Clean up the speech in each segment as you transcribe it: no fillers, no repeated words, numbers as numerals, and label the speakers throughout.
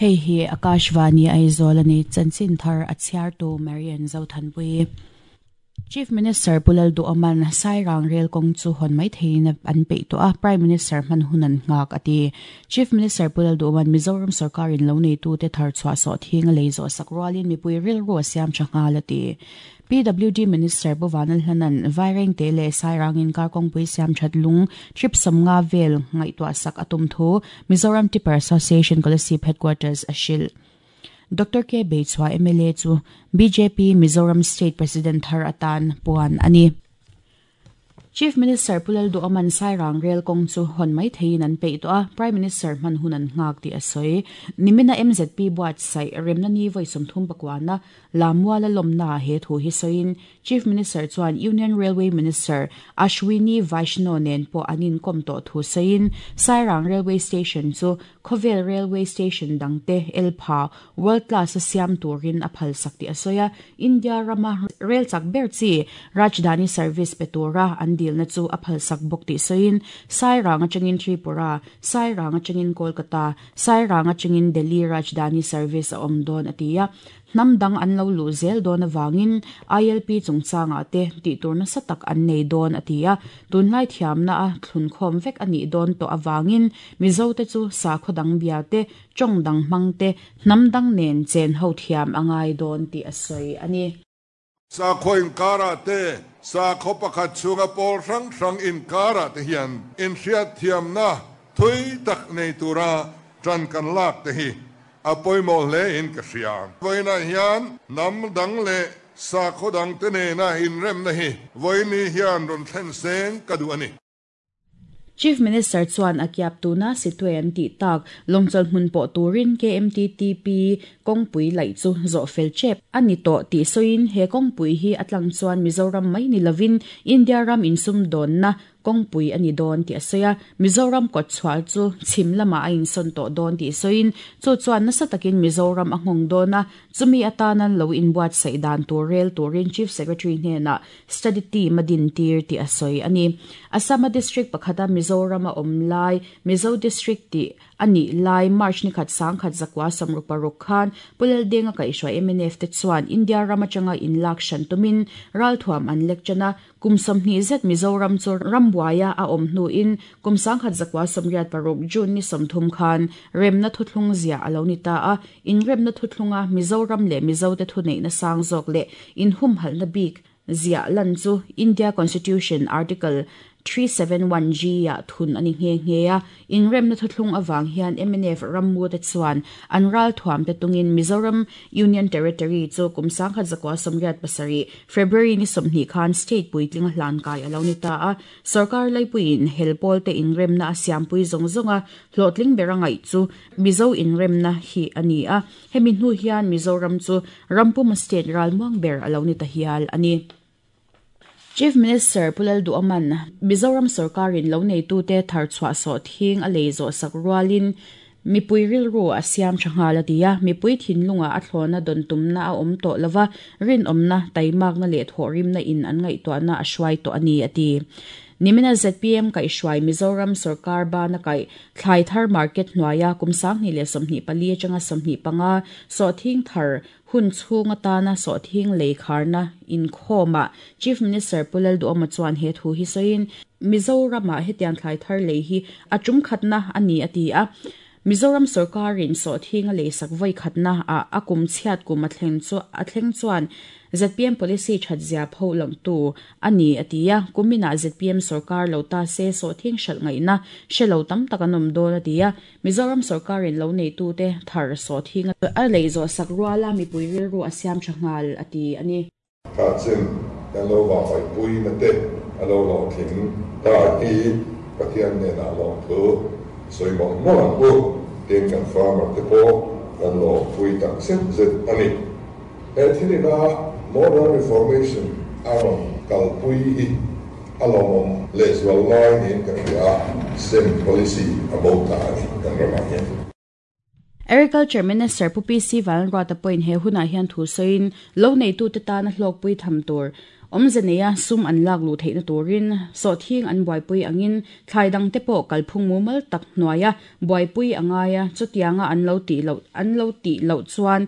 Speaker 1: Hei hi Akashvani Aizawl a ni. Chanchin thar a chhiartu Marian Zothanpui. Chief Minister Pu Lalduhawman Sairang rel kawng chu hawn mai theiin an peih tawh a, Prime Minister hman hun an nghak a ti. Chief Minister Pu Lalduhawman Mizoram sorkarin lo neitute thar chhuah sawh thing a lei zawh sak rualin mipui rilru a siam tha nghal a ti. PWD Minister Pu Vanlalhlana'n Vairengte leh Sairang inkar kawngpui siam that lung trip 50 vel ngaihtuah sak a tum thu Mizoram Tipper Association Kolasib Headquarters a hrilh. Doctor K Beichhua mla chu bjp Mizoram State President thar atan puan a ni. Chief Minister Pu Lalduhawman Sairang rel kawng chu hawn mai theiin an peih tawh a, Prime Minister hman hun an nghak tih a sawi. Nimina MZP buatsaih remna ni vawi 30 pakuana Lamuala lawmnaah he thu hi sawiin Chief Minister chuan Union Railway Minister Ashwini Vaishnaw nen pawh an inkawm tawh thu sawiin Sairang Railway Station chu khawvel railway station dangte elpha world class a siam turin a phalsak tih a sawi a, India rama rel chak ber chi Rajdhani service pe tura an dilna chu a phalsak bawk tih sawiin Sairang atangin Tripura, Sairang atangin Kolkata, Sairang atangin Delhi Rajdhani service a awm dawn a ti a. Hnam dang an lo luh zel dawn avangin ILP chungchangah te tih tur nasa tak an nei dawn a ti a, tunlai thiamna a thlunkhawm vek a nih dawn tawh avangin Mizote chu sakhaw dang bia te, tawng dang hmang te, hnam dang nen chen ho thiam a ngai dawn tih a sawi a ni.
Speaker 2: Sakhaw inkarah te, sakhaw pakhat chhunga pawl hrang hrang inkarah te hian inhriatthiamna thui tak nei tura ṭan kan lak te hi a pawimawh hle in ka hria. Vawiinah hian hnam dang leh sakhaw dang te nena inremna hi vawiini hian rawn thlen seng ka duh a ni.
Speaker 1: Chief Minister chuan a kiap tuna Sittwe an tih tak lawngchawlh hmun pawh turin KMTTP kawngpui laih chu zawh fel tep a ni tawh tih sawiin he kawngpui hi a tlang chuan Mizoram mai ni lovin India ram insumdawnna kawngpui a ni dawn tih a sawi a, Mizoram kawtchhuah chu chhim lamah a insawn tawh dawn tih sawiin chu chuan nasa takin Mizoram a nghawng dawn a, chumi atana lo inbuatsaih dan tur rel turin Chief Secretary hnenah Study team a dintir tih a sawi a ni. Assam-a district pakhata Mizoram a awm lai, Mizo District tih a nih lai March nikhat 1966 khan Pu Laldenga kaihhruai mnf te chuan India ram atanga inlak hran tumin ralthuam an lek tan a, kum 20 zet Mizoram chu rambuaia a awm hnuin kum 1986 June ni 30 khan remna thuthlung ziah a lo ni ta a, inremna thuthlunga Mizoram leh Mizote thuneihna sang zawk leh inhumhalhna bik ziah lan chu India Constitution Article 371 G ah thun a ni nghe nghe a. Inremna thuthlung avang hian mnf rammute chuan an ralthuamte tungin Mizoram Union Territory chu kum 1987 February ni 20 khan state puitling a hlan kai a lo ni ta a. Sorkar laipuiin hel pawlte inremna a siampui zawng zawng a, hlawhtling ber a ngaih chu Mizo inremna hi a ni a. Hemi hnu hian Mizoram chu rampuma state ralmuang ber a lo ni ta hial a ni. Chief Minister Pu Lalduhawman Mizoram sorkarin lo neitute thar chhuah sawh thing a lei zawh sak rualin mipui rilru a siam tha nghal a ti a, mipui thinlungah a thlawna dawn tumna a awm tawh lova, rinawmna, taimakna leh thawhrimna in an ngaihtuahna a hruai tawh a ni a ti. Nimina zpm kaihhruai Mizoram sorkar bana kaih Thlai thar market hnuaia kum 2024 atanga 25 sawhthing thar hun chhung atana sawhthing lei kharna inkhawmah Chief Minister Pu Lalduhawma chuan he thu hi sawiin Mizoramah hetiang thlai thar lei hi a tum khatna a ni a ti a. Mizoram sorkarin sawhthing a leisak vawi khatna ah a kum chhiat kum a thleng chu a thleng chuan zpm policy that zia pho langtu a ni a ti a. Kuminah zpm sorkar lo ta se sawhthing hralh ngaihna hre lo tam tak an awm dawn a ti a. Mizoram sorkarin lo neitute thar sawhthing a lei zawh sak ruala mipui rilru a siam tha nghal a ti a ni.
Speaker 2: Kha chin kan lo vahvaihpui na te a lo hlawhtling ta hi Pathian hnenah lawmthu sawi mawlh mawlh ang u. Tin, kan farmer te pawh kan lawmpui tak zet zet a ni. He thilina Modern Reformation a rawn kalpui hi a lawmawm lehzual lai niin ka hria a, sem policy a bo ta a ni kan ramah hian.
Speaker 1: Agriculture Minister Pu PC Vanruata pawhin he hunah hian thu sawiin lo neitute tana hlawkpui tham tur. Awmze neia sum an lak luh theihna turin sawhthing an buaipui angin thlai dangte pawh kalphung mumal tak hnuaia buaipui a ngai a, chutianga an lo tih loh an lo tih loh chuan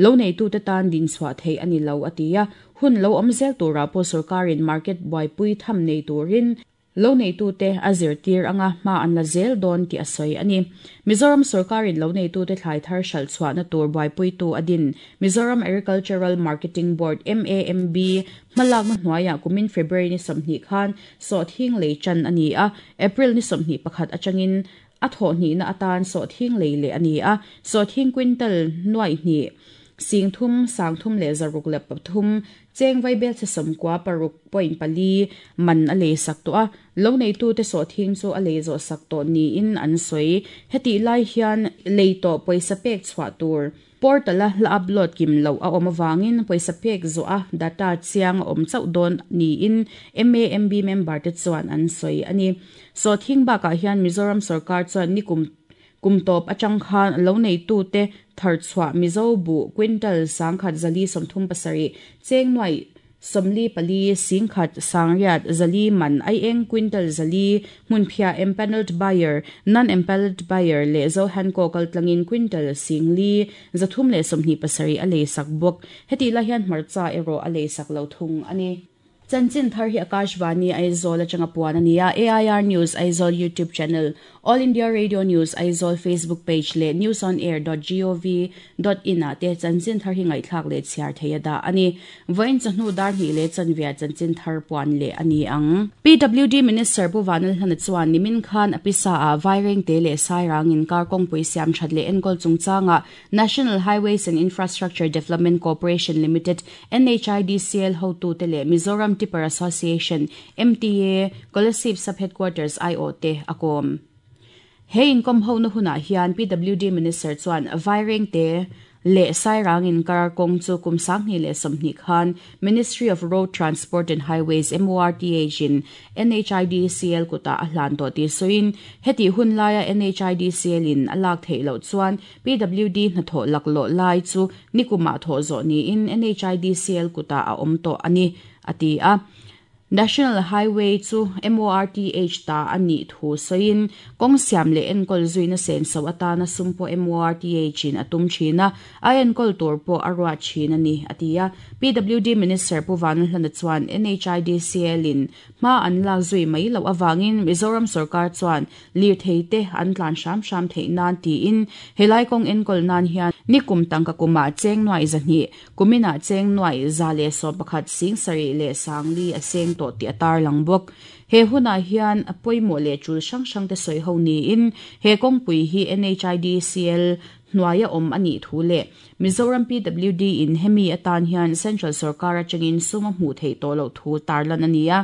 Speaker 1: lo neitute tan dinchhuah theih a ni lo, a ti a. Hun lo awm zel turah pawh sorkarin market buaipui tham nei turin Lo neitute a zirtir anga hma an la zel dawn tih a sawi a ni. Mizoram sorkarin lo neitute thlai thar hralh chhuahna tur buaipuitu a din Mizoram Agricultural Marketing Board, MAMB, hmalakna hnuaiah kumin February ni 20 khan sawhthing lei tan a ni a, April ni 21 atangin a thawhhnihna atan sawhthing lei leh a ni a, sawhthing quintal nuaih hnih, singthum, sangthum leh 603, Cheng vaibelchhe 96 point pali man a lei sak tawh a, lo neitute sawhthing chu a lei zawh sak tawh niin an sawi. Hetih lai hian lei tawh pawisa pek chhuah tur portal-a hla upload kim loh a awm avangin pawisa pek zawh a data chiang a awm chauh dawn niin MAMB member te chuan an sawi a ni. Sawhthing bakah hian Mizoram sorkar chuan nikum Kum tawp atang khan lo neitute tharchhuah Mizo buh quintal 1437, cheng nuaih 44 singkhat sangriat zali man aieng quintal 400 hmunphiah empanelled buyer, non-empanelled buyer leh Zohanco kaltlangin quintal 4,327 a leisak bawk. Hetih lai hian hmarcha erawh a leisak lo thung a ni. Chanchin thar hi Akashvani Aizawl atanga puan a ni a, AIR News Aizawl YouTube channel, All India Radio News Aizawl Facebook page leh newsonair dot gov dot in ah te chanchin thar hi ngaihthlak leh chhiar thei a dah a ni. Vawiin chawhnu dar hnih leh chanvia chanchin thar puan leh a ni ang. PWD Minister Pu Vanlalhlana chuan nimin khan a pisa ah Vairengte leh Sairang inkar kawngpui siam that leh enkawl chungchangah National Highways and Infrastructure Development Corporation Limited, NHIDCL, hotute leh Mizoram Tipper Association, MTA, Kolasib Sub-Headquarters aiawhte a kawm. He inkawm hona hunah hian PWD Minister chuan Vairengte leh Sairang inkar kawng chu kum 2020 khan Ministry of Road Transport and Highways, MORTH, in NHIDCL kutah a hlan tawh tih sawiin, hetih hun laia NHIDCL in a lak theih loh chuan PWD hnathawh laklawh lai chu nikumah thawh zawh niin NHIDCL kutah a awm tawh a ni, a ti a. National Highway chu MORTH ta a nih thu sawiin, kawng siam leh enkawl zuina senso atana sum pawh MORTH in a tum thin a, a enkawl tur pawh a ruat thin a ni, a ti a. PWD Minister Pu Vanlalhlana chuan NHIDCL in hma an lak zui mai loh avangin Mizoram sorkar chuan Lirthei te an tlan hram hram theih nan tiin helai kawng enkawl nan hian nikum tangka kumah cheng nuaih 200, kuminah cheng nuaih 111 704 a seng tawh tih a tarlang bawk. He hunah hian pawimawh leh tul hrang hrang te sawi ho niin he kawngpui hi NHIDCL hnuaia awm a nih thu leh Mizoram PWD in hemi atan hian Central sorkar atangin sum a hmuh theih tawh loh thu tarlan a ni a.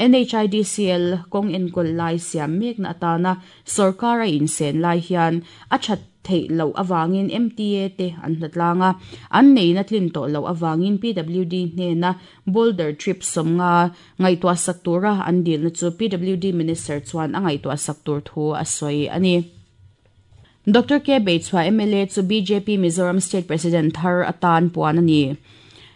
Speaker 1: NHIDCL kawng enkawl lai siam mekna atana sorkar a insen lai hian a that theih loh avangin MTA te an hlatlang a, an neihna tlin tawh loh avangin PWD hnena boulder trip 50 ngaihtuah sak tura an dilna chu PWD Minister chuan a ngaihtuah sak tur thu a sawi a ni. Doctor K. Beichhua mla chu bjp Mizoram State President thar atan puan a ni.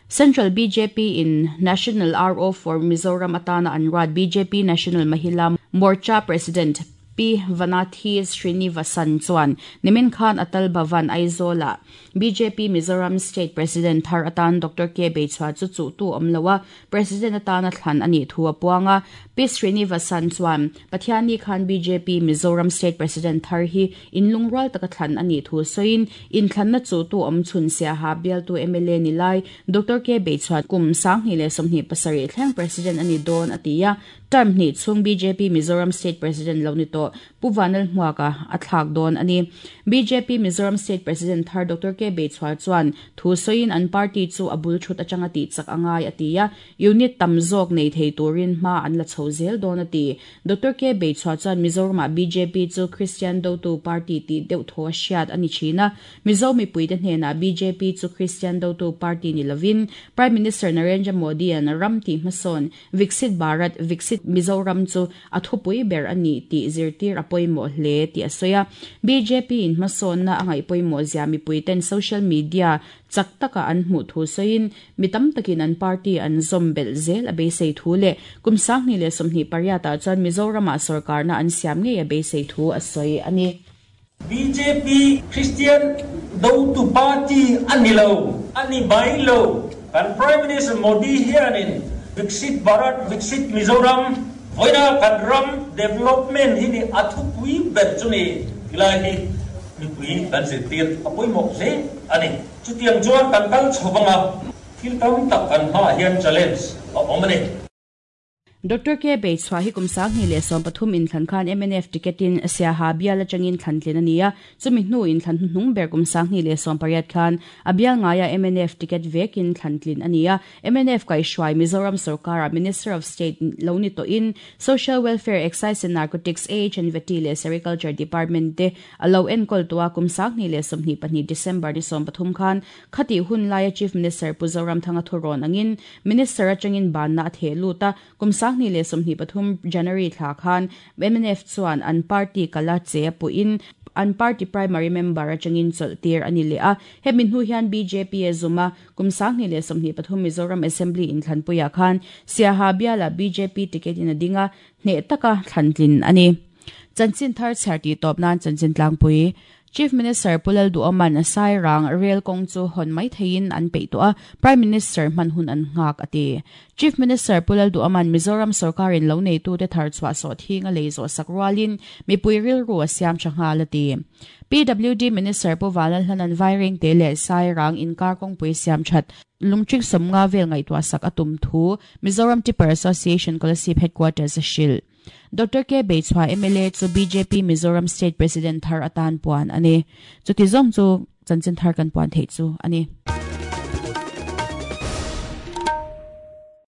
Speaker 1: Central bjp in National RO for Mizoram atana an ruat bjp National Mahila Morcha President Pi Vanathi Srinivasan chuan nimin khan Atal Bhavan Aizawl-ah bjp Mizoram State President thar atan Doctor K. Beichhua chu chuhtu awm lo a, President atana thlan a nih thu a puang a. Pi Srinivasan chuan Pathianni khan bjp Mizoram State President thar hi inlungrual taka thlan a nih thu sawiin, inthlanna chuhtu awm chhun siaha bialtu mla ni lai Doctor K. Beichhuat kum 2027 thleng President a ni dawn a ti a. Term hnih chhung bjp Mizoram State President lo ni tawh Pu Vanlalhmuaka a thlak dawn a ni. Bjp Mizoram State President thar Doctor K. Beichhuar chuan thu sawiin an party chu a bul thut atanga tih chak a ngai a ti a, unit tam zawk nei thei turin hma an la chho zel dawn a ti. Doctor K. Beichhuar chuan Mizoramah bjp chu Kristian dotu party tih deuh thaw a hriat a ni thin a, Mizo mipuite hnenah bjp chu Kristian dotu party ni lovin Prime Minister Narendra Modi-a'n ram tih hmasawn Viksit Bharat, Viksit. Mizoram chu a thupui ber a ni tih zirtir a pawimawh hle tih a sawi a. Bjp in hmasawnna a ngaih pawimawh zia mipui ten social media chak taka an hmuh thu sawiin mi tam takin an party an zawm belh zel a beisei thu leh kum 2028 ah chuan Mizoramah sawrkarna an siam ngei a beisei thu a sawi a ni.
Speaker 3: Bjp Christian dotu party a ni lo, a ni mai lo. Kan Prime Minister Modi hianin Viksit Bharat, Viksit Mizoram, vawiina kan ram development hi ni a thupui ber chu ni tilai hi mipui kan zirtir a pawimawh hle a ni. Chutiang chuan kan kal chho vanga thil tam tak kan hmaah hian challenge a awm a ni.
Speaker 1: Doctor K. Beichhuah hi kum 2013 inthlan khan mnf ticket in Siaha bial atangin thlantlin a ni a, chumi hnu inthlan hnuhnung ber kum 2018 khan a bial ngaia mnf ticket vekin thlantlin a ni a, mnf kaihhruai Mizoram sorkara Minister of State lo ni tawhin Social Welfare, Excise and Narcotics, AH and Vety leh Sericulture Department te a lo enkawl tawh a, kum 2022 December ni 13 khan Khatih hun laia Chief Minister Pu Zoramthanga thurawn angin Minister atangin banna a theh lut a, kum 2023 January thla khan mnf chuan an party kala che a puhin an party primary member atangin chawlh tir a ni leh a. Hemi hnu hian bjp a zum a, kum 2023 Mizoram Assembly inthlanpuiah khan Siaha bialah bjp ticket in a ding a, hneh taka thlantlin a ni. Chanchin thar chhiar tih tawp nan chanchin tlangpui Chief Minister Pu Lalduhoman Sairang rel kawng chu hawn mai theiin an peih tawh a, Prime Minister hman hun an nghak a ti. Chief Minister Pu Lalduhoman Mizoram sorkarin lo neitute thar chhuah sawh thing a lei zawh sak rualin mipui rilru a siam tha nghal a ti. PWD Minister Pu Vanlalhlanan Vairengte leh Sairang inkar kawngpui siam that lungchik 50 vel ngaihtuah sak a tum thu Mizoram Tipper Association Kolasib Headquarters a hrilh. Doctor K. Beichhua mla chu bjp Mizoram State President thar atan puan a ni. Chuti zawng chu chanchin thar kan puan theih chu a ni.